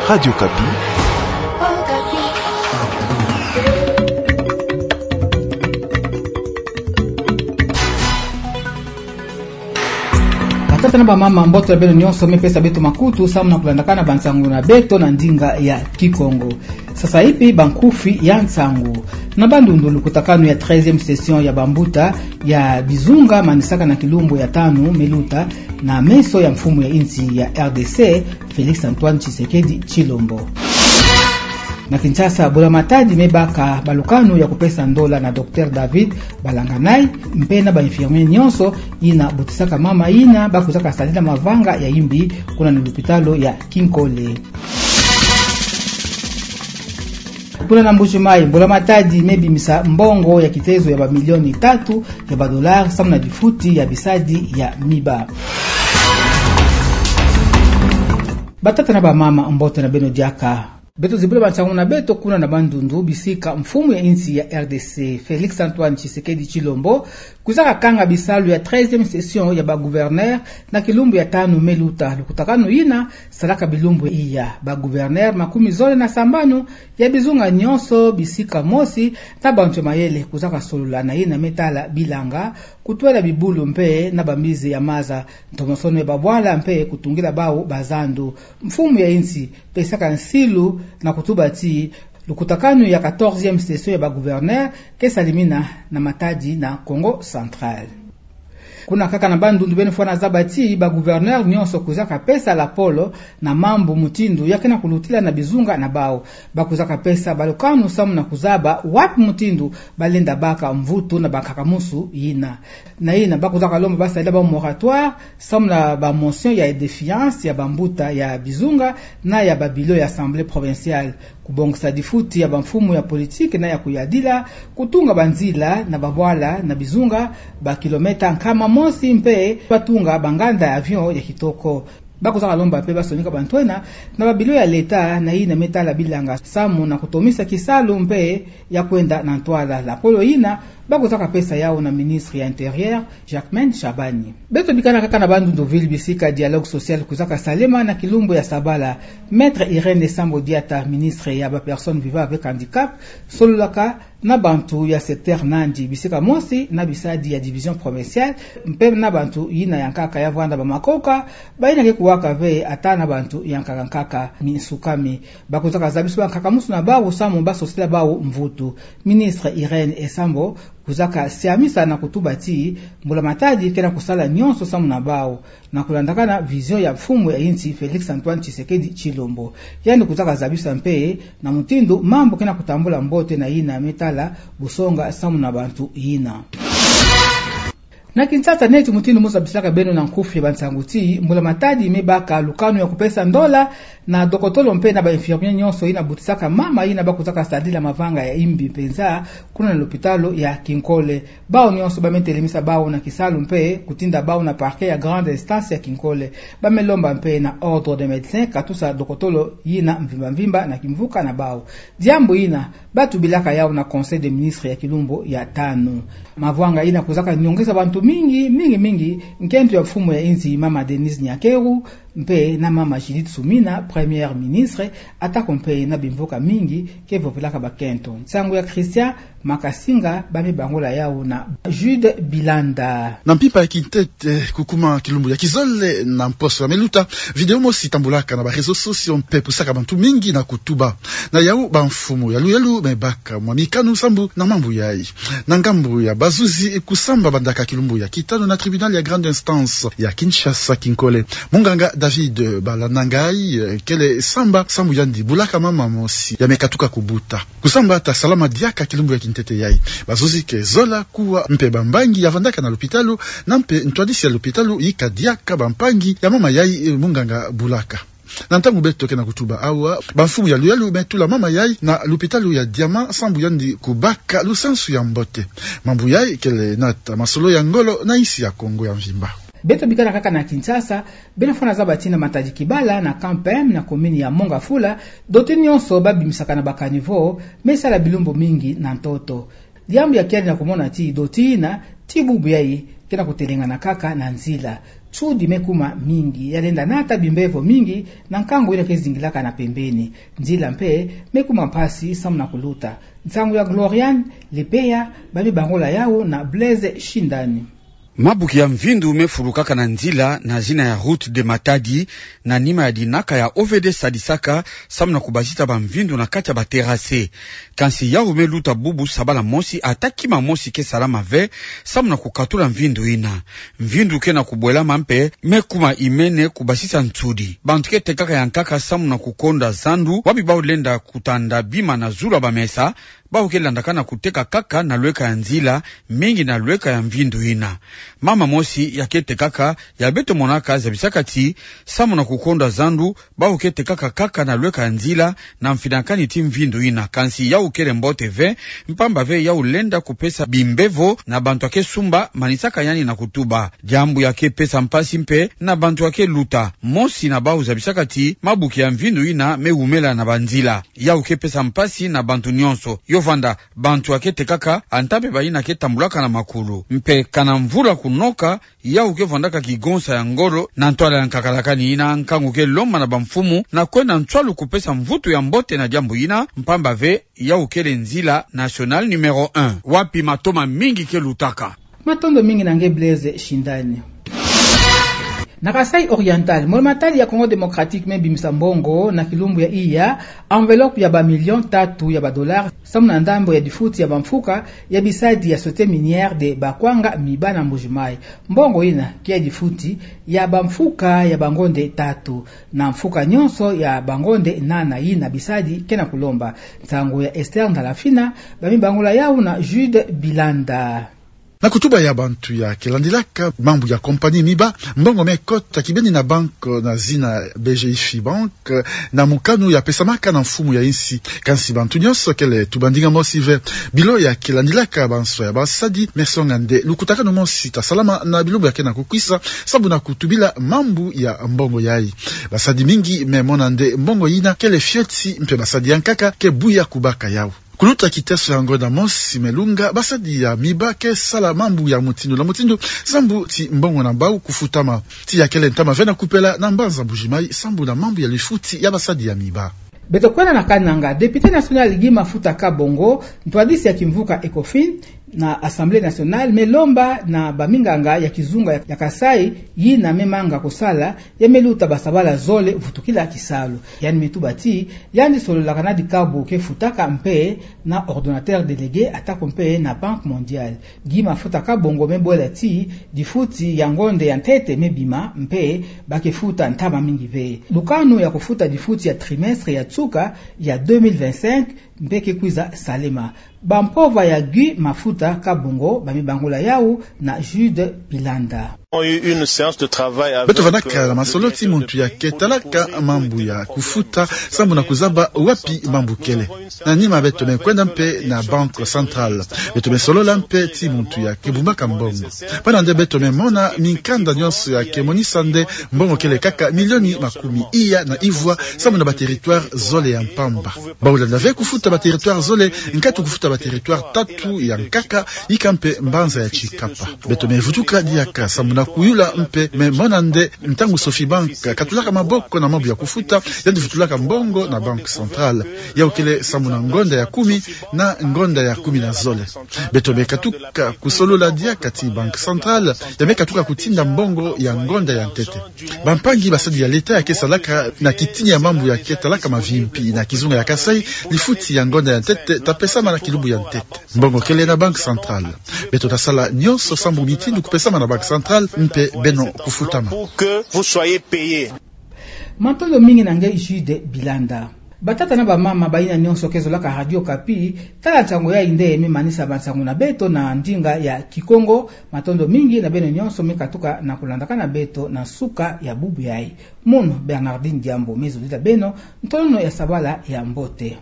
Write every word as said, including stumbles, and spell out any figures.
Radio Okapi. Batata na bamama, mbote ya beno nyonso me pesa beto makutu samu na kulandakana bansangu na beto na ndinga ya Kikongo. Sasa ipi bankufi ya nsangu. Na Bandundu, lukutakanu ya treizième session ya bambuta ya bizunga manisaka na kilumbu ya tanu me luta na meso ya mfumu ya insi ya R D C, Félix Antoine Tshisekedi Tshilombo. Na Kinshasa, mbula matadi me baka balukanu ya kupesa ndola na Docteur David Balanganay, mpe na ba infirmier nyonso yina butisaka mama yina bakwizaka sadila mavanga ya imbi kuna na lupitalu ya Kinkole. Kuna na Mbuji-Mayi, mbula matadi me bimisa mbongo ya kitezo ya bamilioni tatu ya badollars samu na difuti ya bisadi ya miba. Batata na bamama, mbote na beno diaka. Beto zibula bansangu na beto kuna na Bandundu, bisika mfumu ya insi ya R D C, Félix Antoine Tshisekedi Tshilombo, kwizaka kanga bisalu ya treizième session ya bagouverneur na kilumbu ya tanu me luta. Lukutakanu yina salaka bilumbu iya. Bagouverneur makumi zole na sambanu ya bizunga nyonso, bisika mosi, na bantu ya mayele kwizaka solola na yina me tala bilanga, kutwela bibulu mpe na bamizi ya maza, ntomosono ya babwala mpe kutungila bawu bazandu. Mfumu ya insi pesaka nsilu na kutuba ti lukutakanu ya quatorzième session ya bagouverneur ke salimina na matadi na Kongo Central. Kuna kaka na Bandundu, beno fwana zaba ti bagouverneur nyonso kwizaka pesa lapolo na mambu mutindu ya ke na kulutila na bizunga na bawu. Bakwizaka pesa balukanu samu na kuzaba wapi mutindu balenda baka mvutu na bankaka-musu yina. Na yina, bakwizaka lomba basadila bawu moratoire samu na bamotion ya défiance ya bambuta ya bizunga na ya babilo ya Assemblée provinciale, kubongisa difuti ya bamfumu ya politiki na ya kuyadila, kutunga banzila na babwala na bizunga, bakilometa nkama mosi, mpe batunga banganda ya avion ya kitoko. Bakwizaka lomba mpe basonika bantwenia na babilo ya leta na yina me tala bilanga samu na kutomisa kisalu mpe ya kwenda na ntwala. Lapolo yina bakwizaka pesa yawu na ministre ya Intérieur, Jacquemain Shabani. Beto bikana kaka na Bandundu ville, bisika dialogue social kwizaka salema na kilumbu ya sabala. Maître Irène Esambo Diata, ministre ya ba personnes vivant avec handicap, sololaka na bantu ya secteur nandi, bisika mosi na bisadi ya division provinciale, mpe na bantu yina ya nkaka ya vwanda bamakoka, bayina ke kuwaka ve ata na bantu ya nkaka nkaka misukami. Bakwizaka zabisa bankaka-musu na bawu samu basosila bawu mvutu. Ministre Irène Esambo kwizaka siamisa na kutuba ti mbula matadi ke na kusala nyonso samu na bawu, na kulandakana vision ya mfumu ya insi Félix Antoine Tshisekedi Tshilombo. Yandi kwizaka zabisa mpe na mutindu mambu ke na kutambula mbote na yina me tala busonga samu na bantu yina. Na Kinshasa neti, mutindu mu zabisilaka beno na nkufi ya bansangu ti mbula matadi me baka lukanu ya kupesa ndola na dokotolo mpe na ba infirmier nyonso yina butisaka mama yina bakwizaka sadila mavanga ya imbi mpenza kuna na lupitalu ya Kinkole. Bawu nyonso ba me telemisa bawu na kisalu mpe kutinda bawu na parquet ya grande instance ya Kinkole. Ba me lomba mpe na Ordre des médecins katusa dokotolo yina mvimba mvimba na kimvuka na bawu. Diambu yina ba tubilaka yawu na Conseil des ministres ya kilumbu ya tanu. Mavanga yina kwizaka nyongesa bantu mingi, mingi, mingi, nkento ya mfumu ya insi, mama Denise Nyakeru, mpe na mama Judith Suminwa, première ministre, atako mpe na bimvuka mingi ke vovelaka bakento. Nsangu ya Christian Makasinga, ba me bangula yawu na Jude Bilanda. Na mpimpa ya kintete, kukuma kilumbu ya kizole na mposo ya me luta, vidéo mosi tambulaka na ba réseaux sociaux mpe pusaka bantu mingi na kutuba. Na yawu, bamfumu ya Luyalu me baka mwa mikanu sambu na mambu yayi. Na ngambu ya bazuzi, kusamba bandaka kilumbu ya kitanu na tribunal ya grande instance ya Kinshasa Kinkole, munganga David Balanganay, eh, kele samba sambu yandi bulaka mama mosi ya me katuka kubuta. Kusamba ta salama diaka kilumbu ya kintete yayi. Bazuzi ke zola kuwa mpe bambangi ya vandaka na lupitalu, na mpe ntwadisi ya lupitalu yika diaka bampangi ya mama yayi, eh, munganga bulaka. Na ntangu beto ke na kutuba awa, bamfumu ya Luyalu me tula mama yayi na lupitalu ya Diamant sambu yandi kubaka lusansu ya mbote. Mambu yayi kele nata masolo ya ngolo na insi ya Kongo ya mvimba. Beto bikala kaka na Kinshasa, beno fwana zaba ti na Matadi Kibala, na Kampem, na commune ya Mont-Ngafula, doti nyonso ba bimisaka na ba caniveau me sala bilumbu mingi na ntoto. Diambu ya kiadi na kumona ti doti yina, ti bubu yayi, ke na kutelengana kaka na nzila. Nsudi me kuma mingi, ya lenda nata bimbevo mingi na nkangu ina ke zingilaka na pembeni. Nzila mpe me kuma mpasi samu na kuluta. Nsangu ya Gloriane Lepeya, ba mi bangula yawu na Blaise Shindani. Mabuki ya mvindu me fulukaka na nzila na zina ya route de Matadi, na nima ya dinaka ya O V D sadisaka samu na kubasisa ba mvindu na kati ya ba terrasse. Kansi yawu me luta bubu sabala mosi, ata kima mosi ke salama ve samu na kukatula mvindu ina. Mvindu ke na kubwelama mpe me kuma imene kubasisa nsudi. Bantu ke tekaka ya nkaka samu na kukonda zandu, wapi bawu lenda kutanda bima na zulu ya ba mesa, bawu ke landaka na kuteka kaka na lweka ya nzila, mingi na lweka ya mvindu ina. Mama mosi ya ke tekaka, ya beto monaka, zabisaka ti, samu na kukonda zandu, bawu ke tekaka kaka na lweka ya nzila, na mfinakani ti mvindu ina. Kansi yawu kele mbote ve, mpamba ve yawu lenda kupesa bimbevo na bantu ya ke sumba, manisaka yandi na kutuba. Diambu ya ke pesa mpasi mpe na bantu ya ke luta. Mosi na bawu zabisaka ti mabuki ya mvindu ina me wumela na banzila. Yawu ke pesa mpasi na bantu nyonso. Yo vanda, bantu ya ke tekaka, ata mpe bayina ke tambulaka na makulu. Mpe kana mvula kunoka, yawu ke vandaka kigonsa ya ngolo na ntwala ya nkakalakani ina, nkangu ke lomba na ba mfumu na kwenda nswalu kupesa mvutu ya mbote na diambu ina, mpamba ve yawu kele nzila nationale numéro un, wapi matoma mingi ke lutaka. Matondo mingi na nge Blaise Shindani. Na Kasaï Oriental, mbula matadi ya Congo Démocratique me bimisa mbongo na kilumbu ya iya, enveloppe ya ba millions tatu ya ba dollars, samu na ndambo ya difuti ya ba mfuka ya bisadi ya Société Minière de Bakwanga Miba na Mbuji-Mayi. Mbongo ina ke ya difuti ya ba mfuka ya ba ngonde tatu, na mfuka nyonso ya ba ngonde nana ina bisadi ke na kulomba. Nsangu ya Esther Ndalafina, ba mi bangula yawu na Jude Bilanda. Na kutuba ya bantu ya ke landilaka mambu ya compagnie Miba, mbongo me kota kibeni na banque na zina B G I Fibank, na mukanu ya pesamaka na mfumu ya insi. Kansi bantu nyonso kele tuba ndinga mosi ve. Bilo ya ke landilaka ba nswa ya basadi me songa nde lukutakanu mosi ta salama na bilumbu ya ke na kukwisa, samu na kutubila mambu ya mbongo yayi. Basadi mingi me mona nde mbongo ina kele fioti, mpe basadi ya nkaka ke buya kubaka yawu. Kuluta kiteso ya ngonda mosi me lunga, basadi ya Miba ke sala mambu ya mutindu na mutindu, sambu ti mbongo na bawu kufutama. Ti ya kele ntama ve na kupela na mbanza Mbuji-Mayi, sambu na mambu ya lifuti ya basadi ya Miba. Beto kwenda na Kananga, député national Guy Mafuta Kabongo, ntwadisi ya kimvuka ECOFIN na Assemblée nationale, me lomba na ba minganga ya kizunga ya Kasaï, yina me manga kusala, ya me luta basabala zole vutukila kisalu. Yandi me tuba ti, yandi sololaka na dikabu ke futaka mpe na ordonnateur délégué, atako mpe na Banque mondiale. Guy Mafuta Kabongo me bwela ti, difuti ya ngonde ya ntete me bima, mpe ba ke futa ntama mingi ve. Lukanu ya kufuta difuti ya trimestre ya nsuka ya deux mille vingt-cinq mpe ke kwiza salema. Ba mpova ya Guy Mafuta Kabongo, ba mi bangula yawu na Jude Bilanda. Beto vandaka na masolo ti muntu ya ke talaka mambu ya kufuta, sambu na kuzaba wapi mambu kele. Na nima beto me kwenda mpe na Banque centrale. Beto me solola mpe ti muntu ya ke bumbaka mbongo. Bwana nde beto me mona minkanda nyonso ya ke monisa nde mbongo kele kaka milioni makumi iya na ivwa, sambu na ba territoire zole ya mpamba. Bawu lenda ve kufuta ba territoire zole, nkatu kufuta ba territoire tatu ya nkaka, yika mpe mbanza ya Tshikapa. Beto me vutuka diaka sambu na kuyula mpe me mona nde ntangu Sofibank katulaka maboko na mambu ya kufuta, yandi vutulaka mbongo na Banque centrale. Yawu kele sambu na ngonda ya kumi na ngonda ya kumi na zole. Beto me katuka kusolola diaka ti Banque centrale ya me katuka kutinda mbongo ya ngonda ya ntete. Bampangi basadi ya leta ya ke salaka na kitini ya mambu ya ke talaka mavimpi na kizunga ya Kasaï, lifuti ya ngonda ya ntete ta pesama na kilumbu ya ntete. Mbongo kele na Banque centrale. Beto ta sala nyonso sambu mitindu kupesama na Banque centrale mpe beno kufutama. Matondo mingi na nge Jude Bilanda. Batata na bamama, bayina nyonso ke zolaka Radio Okapi, tala nsangu yayi nde me manisa bansangu na beto na ndinga ya Kikongo. Matondo mingi na beno nyonso me katuka na kulandaka na beto na nsuka ya bubu yayi. Mono Bernardine Diambo me zolila beno ntonono ya sabala ya mbote.